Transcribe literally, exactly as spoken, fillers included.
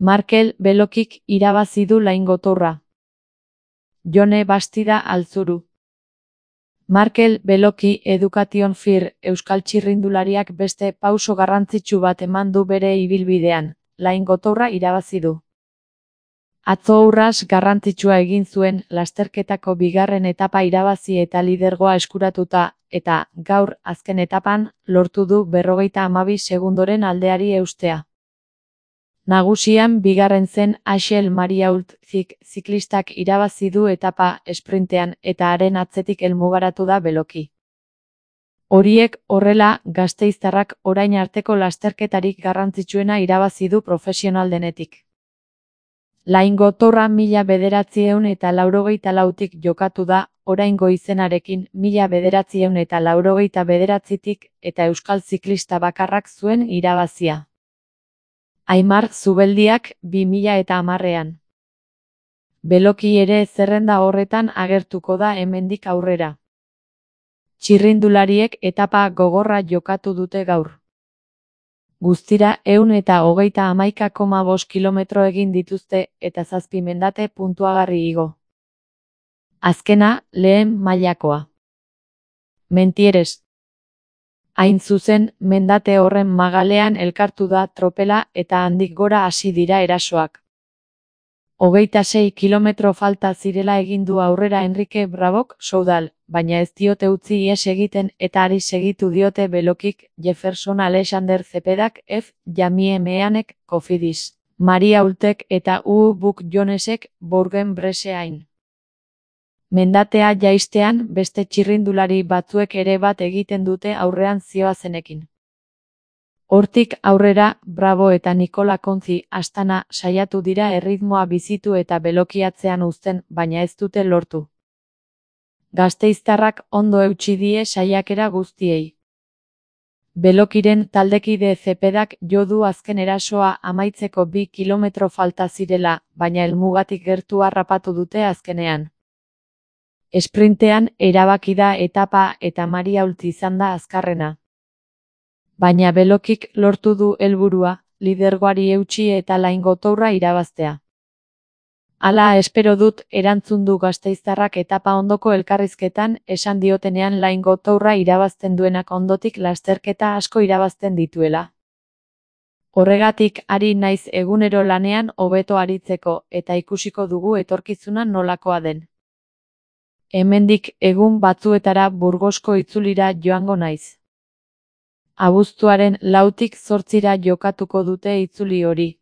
Markel Belokik irabazi du Laingotorra. Jone Bastida Altzuru. Markel Beloki Education Fir euskal txirrindulariak beste pauso garrantzitsu bat eman du bere ibilbidean, Laingotorra irabazi du. Atzo urras garrantzitsua egin zuen lasterketako bigarren etapa irabazi eta lidergoa eskuratuta, eta, gaur, azken etapan, lortu du berrogeita hamabi segundoren aldeari eustea. Nagusian bigarren zen Axel Mariault ziklistak irabazi du etapa esprintean eta haren atzetik helmugaratu da Beloki. Horiek horrela, gasteiztarrak orain arteko lasterketarik garrantzitsuena irabazi du profesional denetik. Laingotorra mila bederatziehun eta laurogeita lautik jokatu da, oraingo izenarekin mila bederatziehun eta laurogeita bederatzitik eta euskal ziklista bakarrak zuen irabazia. Aimar Zubeldiak bi mila eta hamarrean. Beloki ere zerrenda horretan agertuko da hemendik aurrera. Txirrindulariek etapa gogorra jokatu dute gaur. Guztira ehun eta hogeita hamaika koma bost kilometro egin dituzte eta zazpi mendate puntuagarri igo. Azkena, lehen mailakoa. Mentieres. Hain zuzen, mendate horren magalean elkartu da tropela eta handik gora hasi dira erasoak. Hogeita sei kilometro falta zirela egin du aurrera Enrique Brabok Soudal, baina ez diote utzi ihes egiten eta ari segitu diote Belokik, Jefferson Alexander Zepedak, F. Jamie Meanek, Cofidis, Mariaultek eta U. Buck Jonesek, Bourgen Bresseain. Mendatea jaistean beste txirrindulari batzuek ere bat egiten dute aurrean zihoazenekin. Hortik aurrera, Bravo eta Nikola Kontzi Astana saiatu dira erritmoa bizitu eta Beloki atzean uzten, baina ez dute lortu. Gasteiztarrak ondo eutsi die saiakera guztiei. Belokiren taldekide Zepedak jo du azken erasoa amaitzeko bi kilometro falta zirela, baina helmugatik gertu harrapatu dute azkenean. Esprintean erabaki da etapa eta Mariault izan da azkarrena. Baina Belokik lortu du helburua, lidergoari eutsi eta Laingotorra irabaztea. Hala espero dut, erantzun du gasteiztarrak etapa ondoko elkarrizketan, esan diotenean Laingotorra irabazten duenak ondotik lasterketa asko irabazten dituela. Horregatik ari naiz egunero lanean hobeto aritzeko eta ikusiko dugu etorkizuna nolakoa den. Hemendik egun batzuetara Burgosko itzulira joango naiz. Abuztuaren lautik zortzira jokatuko dute itzuli hori.